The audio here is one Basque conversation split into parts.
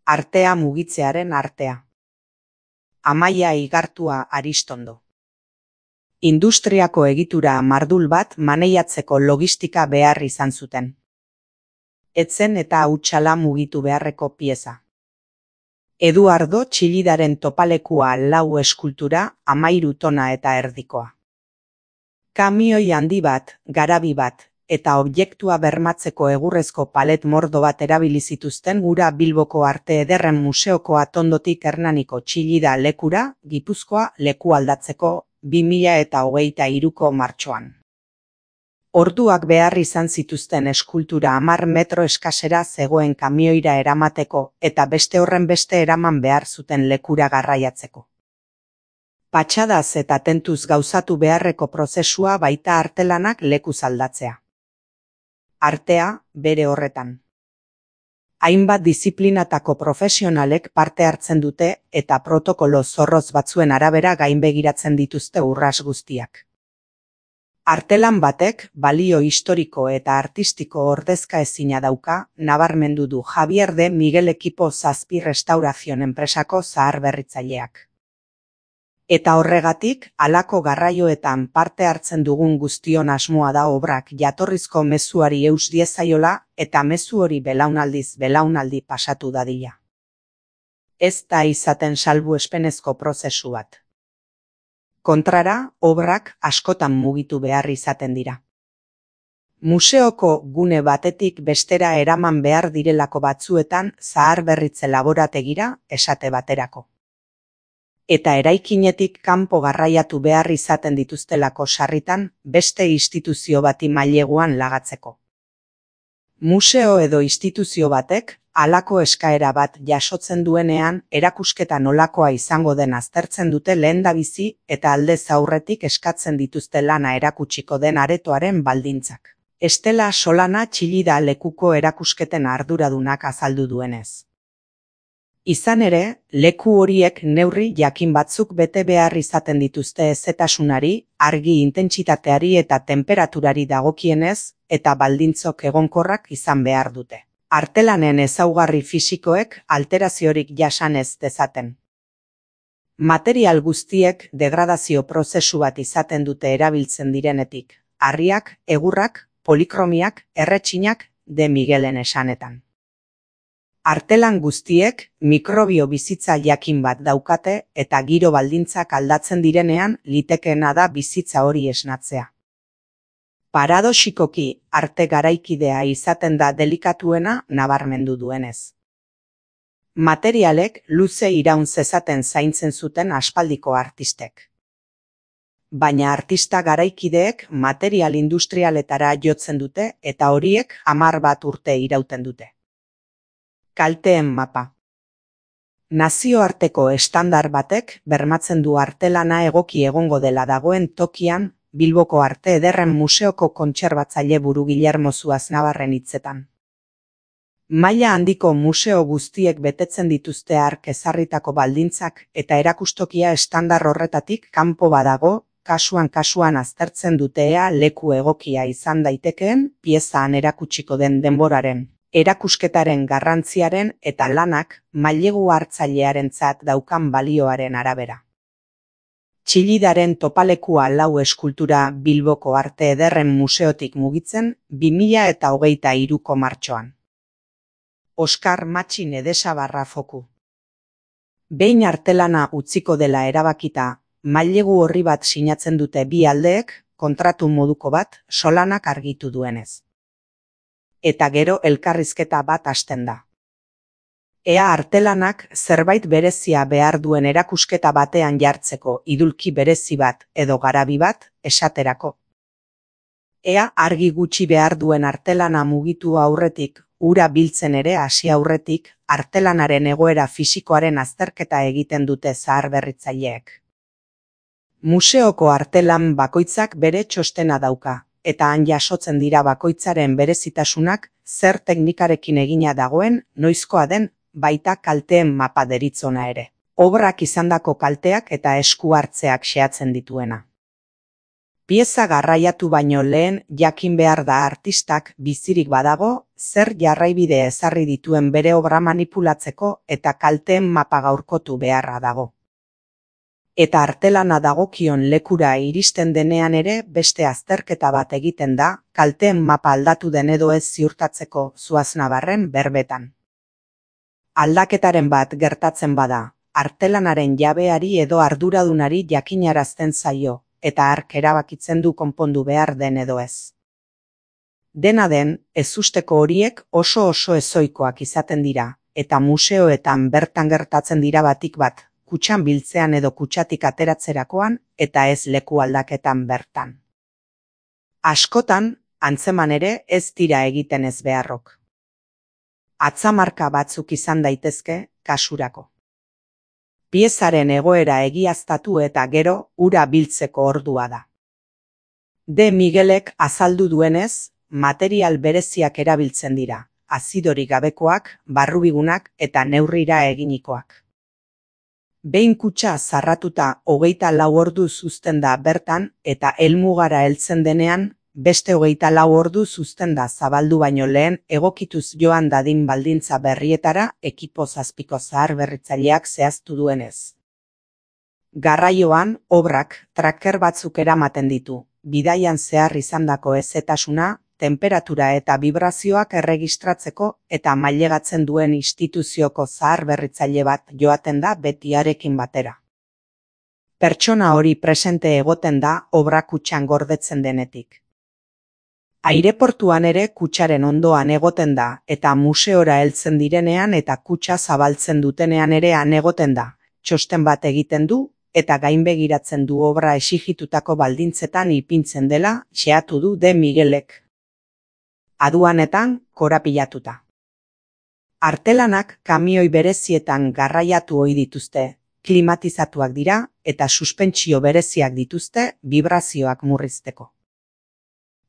Artea mugitzearen artea. Amaia Igartua Aristondo. Industriako egitura mardul bat maneiatzeko logistika behar izan zuten. Etzen eta hutsala mugitu beharreko pieza. Eduardo Txillidaren topalekua 4 eskultura, 13 tona eta erdikoa. Kamioi handi bat, garabi bat, eta objektua bermatzeko egurrezko palet mordo bat erabili zituzten gura Bilboko Arte Ederren Museoko atondotik Hernaniko Txillida lekura, Gipuzkoa leku aldatzeko 2023ko martxoan. Orduak behar izan zituzten eskultura 10 metro eskasera zegoen kamioira eramateko eta beste horren beste eraman behar zuten lekura garraiatzeko. Patxadaz eta tentuz gauzatu beharreko prozesua baita artelanak lekuz aldatzea. Artea, bere horretan. Hainbat disiplinatako profesionalek parte hartzen dute eta protokolo zorroz batzuen arabera gainbegiratzen dituzte urras guztiak. Artelan batek balio historiko eta artistiko ordezka ezina dauka, nabarmendu du Javier de Miguel Ekipo Zazpi Restaurazion enpresako zaharberritzaileak. Eta horregatik, halako garraioetan parte hartzen dugun guztion asmoa da obrak jatorrizko mezuari eus diezaiola eta mezu hori belaunaldiz belaunaldi pasatu dadila. Ez da izaten salbuespenezko prozesu bat. Kontrara, obrak askotan mugitu behar izaten dira. Museoko gune batetik bestera eraman behar direlako batzuetan zaharberritze laborategira esate baterako. Eta eraikinetik kanpo garraiatu behar izaten dituztelako sarritan beste instituzio bati maileguan lagatzeko. Museo edo instituzio batek halako eskaera bat jasotzen duenean erakusketa nolakoa izango den aztertzen dute lehendabizi eta aldez aurretik eskatzen dituzte lana erakutsiko den aretoaren baldintzak. Estela Solana Txillida lekuko erakusketen arduradunak azaldu duenez. Izan ere, leku horiek neurri jakin batzuk bete behar izaten dituzte hezetasunari, argi intentsitateari eta temperaturari dagokienez, eta baldintzok egonkorrak izan behar dute. Artelanen ezaugarri fisikoek alteraziorik jasan ez dezaten. Material guztiek degradazio prozesu bat izaten dute erabiltzen direnetik, harriak, egurrak, polikromiak, erretxinak, de Miguelen esanetan. Artelan guztiek mikrobio bizitza jakin bat daukate eta giro baldintzak aldatzen direnean litekeena da bizitza hori esnatzea. Paradoxikoki arte garaikidea izaten da delikatuena nabarmendu duenez. Materialek luze iraun zezaten zaintzen zuten aspaldiko artistek. Baina artista garaikideek material industrialetara jotzen dute eta horiek 10 urte irauten dute. Kalteen mapa. Nazioarteko estandar batek bermatzen du artelana egoki egongo dela dagoen tokian Bilboko Arte Ederren Museoko kontserbatzaile buru Guillermo Zuaznabarren hitzetan. Maila handiko museo guztiek betetzen dituzte hark ezarritako baldintzak eta erakustokia estandar horretatik kanpo badago, kasuan aztertzen dute ea leku egokia izan daitekeen piezaan erakutsiko den denboraren, erakusketaren garrantziaren eta lanak mailegu hartzailearentzat daukan balioaren arabera. Txillidaren topalekua 4 eskultura Bilboko Arte Ederren Museotik mugitzen 2023ko martxoan. Oskar Matxin Edesabarra foku. Behin artelana utziko dela erabakita, mailegu horri bat sinatzen dute bi aldeek, kontratu moduko bat Solanak argitu duenez. Eta gero elkarrizketa bat hasten da. Ea artelanak zerbait berezia behar duen erakusketa batean jartzeko idulki berezi bat edo garabi bat esaterako. Ea argi gutxi behar duen artelana mugitu aurretik, ura biltzen ere hasi aurretik, artelanaren egoera fisikoaren azterketa egiten dute zaharberritzaileek. Museoko artelan bakoitzak bere txostena dauka, eta han jasotzen dira bakoitzaren berezitasunak, zer teknikarekin egina dagoen, noizkoa den, baita kalteen mapa deritzona ere. Obrak izandako kalteak eta esku hartzeak xehatzen dituena. Pieza garraiatu baino lehen jakin behar da artistak bizirik badago, zer jarraibide ezarri dituen bere obra manipulatzeko eta kalteen mapa gaurkotu beharra dago. Eta artelana dagokion lekura iristen denean ere beste azterketa bat egiten da, kalteen mapa aldatu den edo ez ziurtatzeko Zuaznabarren berbetan. Aldaketaren bat gertatzen bada, artelanaren jabeari edo arduradunari jakinarazten zaio, eta hark erabakitzen du konpondu behar den edo ez. Dena den, ezusteko horiek oso ezoikoak izaten dira, eta museoetan bertan gertatzen dira batik bat, kutxan biltzean edo kutxatik ateratzerakoan, eta ez leku aldaketan bertan. Askotan, antzeman ere ez dira egiten ez beharrok. Atzamarka batzuk izan daitezke, kasurako. Piezaren egoera egiaztatu eta gero ura biltzeko ordua da. De Miguelek azaldu duenez, material bereziak erabiltzen dira, azidorik gabekoak, barrubigunak eta neurrira eginikoak. Behin kutxa zarratuta 24 orduz uzten da bertan eta helmugara heltzen denean, beste 24 orduz uzten da zabaldu baino lehen egokituz joan dadin baldintza berrietara ekipo zazpiko zaharberritzaileak zehaztu duenez. Garraioan, obrak tracker batzuk eramaten ditu, bidaian zehar izandako hezetasuna, temperatura eta vibrazioak erregistratzeko eta mailegatzen duen instituzioko zaharberritzaile bat joaten da betiarekin batera. Pertsona hori presente egoten da obra kutxan gordetzen denetik. Aireportuan ere kutxaren ondoan egoten da eta museora heltzen direnean eta kutxa zabaltzen dutenean ere han egoten da, txosten bat egiten du eta gainbegiratzen du obra exigitutako baldintzetan ipintzen dela xehatu du De Miguelek. Aduanetan korapilatuta. Artelanak kamioi berezietan garraiatu ohi dituzte, klimatizatuak dira eta suspentsio bereziak dituzte vibrazioak murrizteko.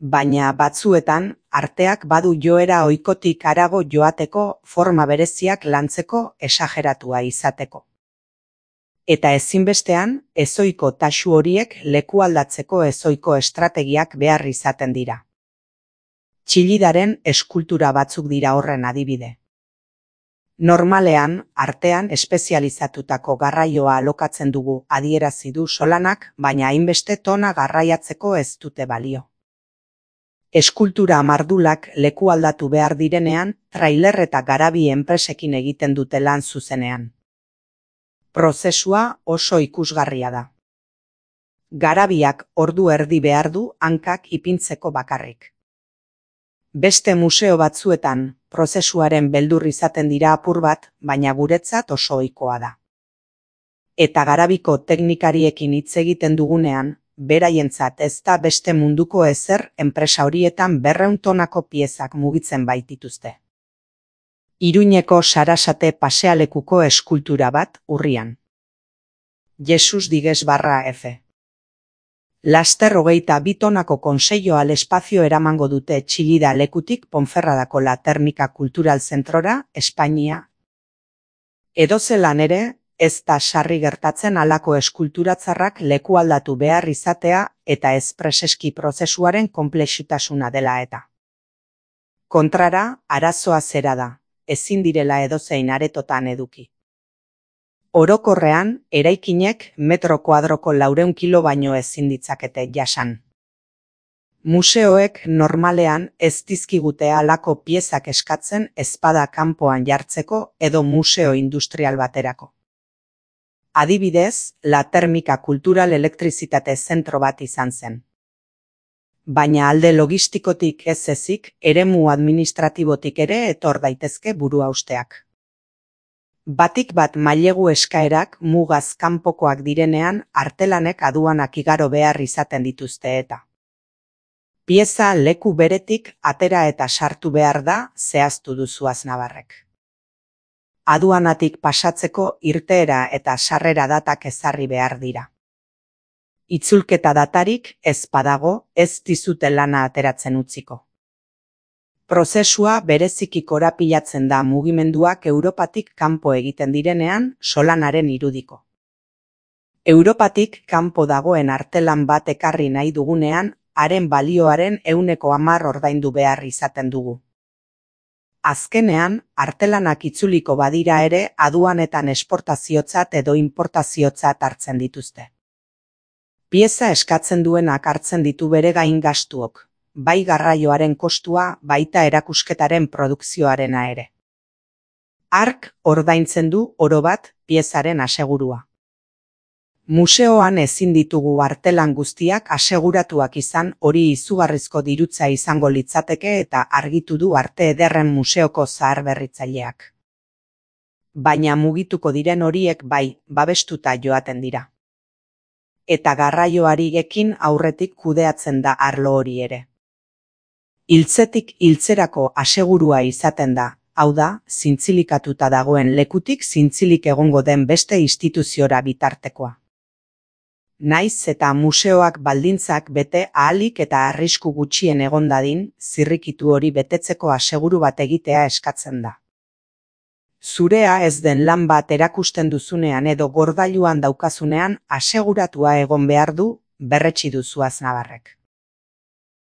Baina batzuetan, arteak badu joera ohikotik harago joateko forma bereziak lantzeko esageratua izateko. Eta ezinbestean, ezoiko tasu horiek leku aldatzeko ezoiko estrategiak behar izaten dira. Txillidaren eskultura batzuk dira horren adibide. Normalean, artean espezializatutako garraioa alokatzen dugu adierazi du Solanak, baina hainbeste tona garraiatzeko ez dute balio. Eskultura mardulak leku aldatu behar direnean, trailer eta garabi enpresekin egiten dute lan zuzenean. Prozesua oso ikusgarria da. Garabiak ordu erdi behar du hankak ipintzeko bakarrik. Beste museo batzuetan, prozesuaren beldur izaten dira apur bat, baina guretzat oso ohikoa da. Eta garabiko teknikariekin hitz egiten dugunean, beraientzat ez da beste munduko ezer enpresa horietan 200 tonako piezak mugitzen baitituzte. Iruñeko Sarasate pasealekuko eskultura bat urrian. Jesus digues /F. Laster 22 tonako konseio al espazio eramango dute Txillida lekutik Ponferradako La Termika Kultural Zentrora, Espainia. Edozelan ere, ez da sarri gertatzen halako eskulturatzarrak leku aldatu behar izatea eta ez preseski prozesuaren konplexutasuna dela eta. Kontrara, arazoa zera da, ezin direla edozein aretotan eduki. Orokorrean, eraikinek metro kuadroko 400 kilo baino ezin ditzakete jasan. Museoek normalean ez dizkigute halako piezak eskatzen ezpada kanpoan jartzeko edo museo industrial baterako. Adibidez, La Termika Kultural Elektrizitate Zentro bat izan zen. Baina alde logistikotik ez ezik, eremu administratibotik ere etor daitezke buruhausteak. Batik bat mailegu eskaerak mugaz kanpokoak direnean artelanek aduanak igaro behar izaten dituzte eta. Pieza leku beretik atera eta sartu behar da zehaztu du Zuaznabarrek. Aduanatik pasatzeko irteera eta sarrera datak ezarri behar dira. Itzulketa datarik ez badago ez dizute lana ateratzen utziko. Prozesua bereziki korapilatzen da mugimenduak Europatik kanpo egiten direnean Solanaren irudiko. Europatik kanpo dagoen artelan bat ekarri nahi dugunean, haren balioaren 110% ordaindu behar izaten dugu. Azkenean, artelanak itzuliko badira ere aduanetan esportaziotzat edo importaziotzat hartzen dituzte. Pieza eskatzen duenak hartzen ditu bere gain gastuok, bai garraioaren kostua, baita erakusketaren produkzioarena ere. Hark ordaintzen du orobat piezaren asegurua. Museoan ezin ditugu artelan guztiak aseguratuak izan, hori izugarrizko dirutza izango litzateke eta argitu du Arte Ederren Museoko zaharberritzaileak. Baina mugituko diren horiek bai, babestuta joaten dira. Eta garraioari ekin aurretik kudeatzen da arlo hori ere. Hiltzetik hiltzerako asegurua izaten da, hau da, zintzilikatuta dagoen lekutik zintzilik egongo den beste instituziora bitartekoa. Naiz eta museoak baldintzak bete ahalik eta arrisku gutxien egon dadin, zirrikitu hori betetzeko aseguru bat egitea eskatzen da. Zurea ez den lan bat erakusten duzunean edo gordailuan daukazunean aseguratua egon behar du, berretsi du Zuaznabarrek.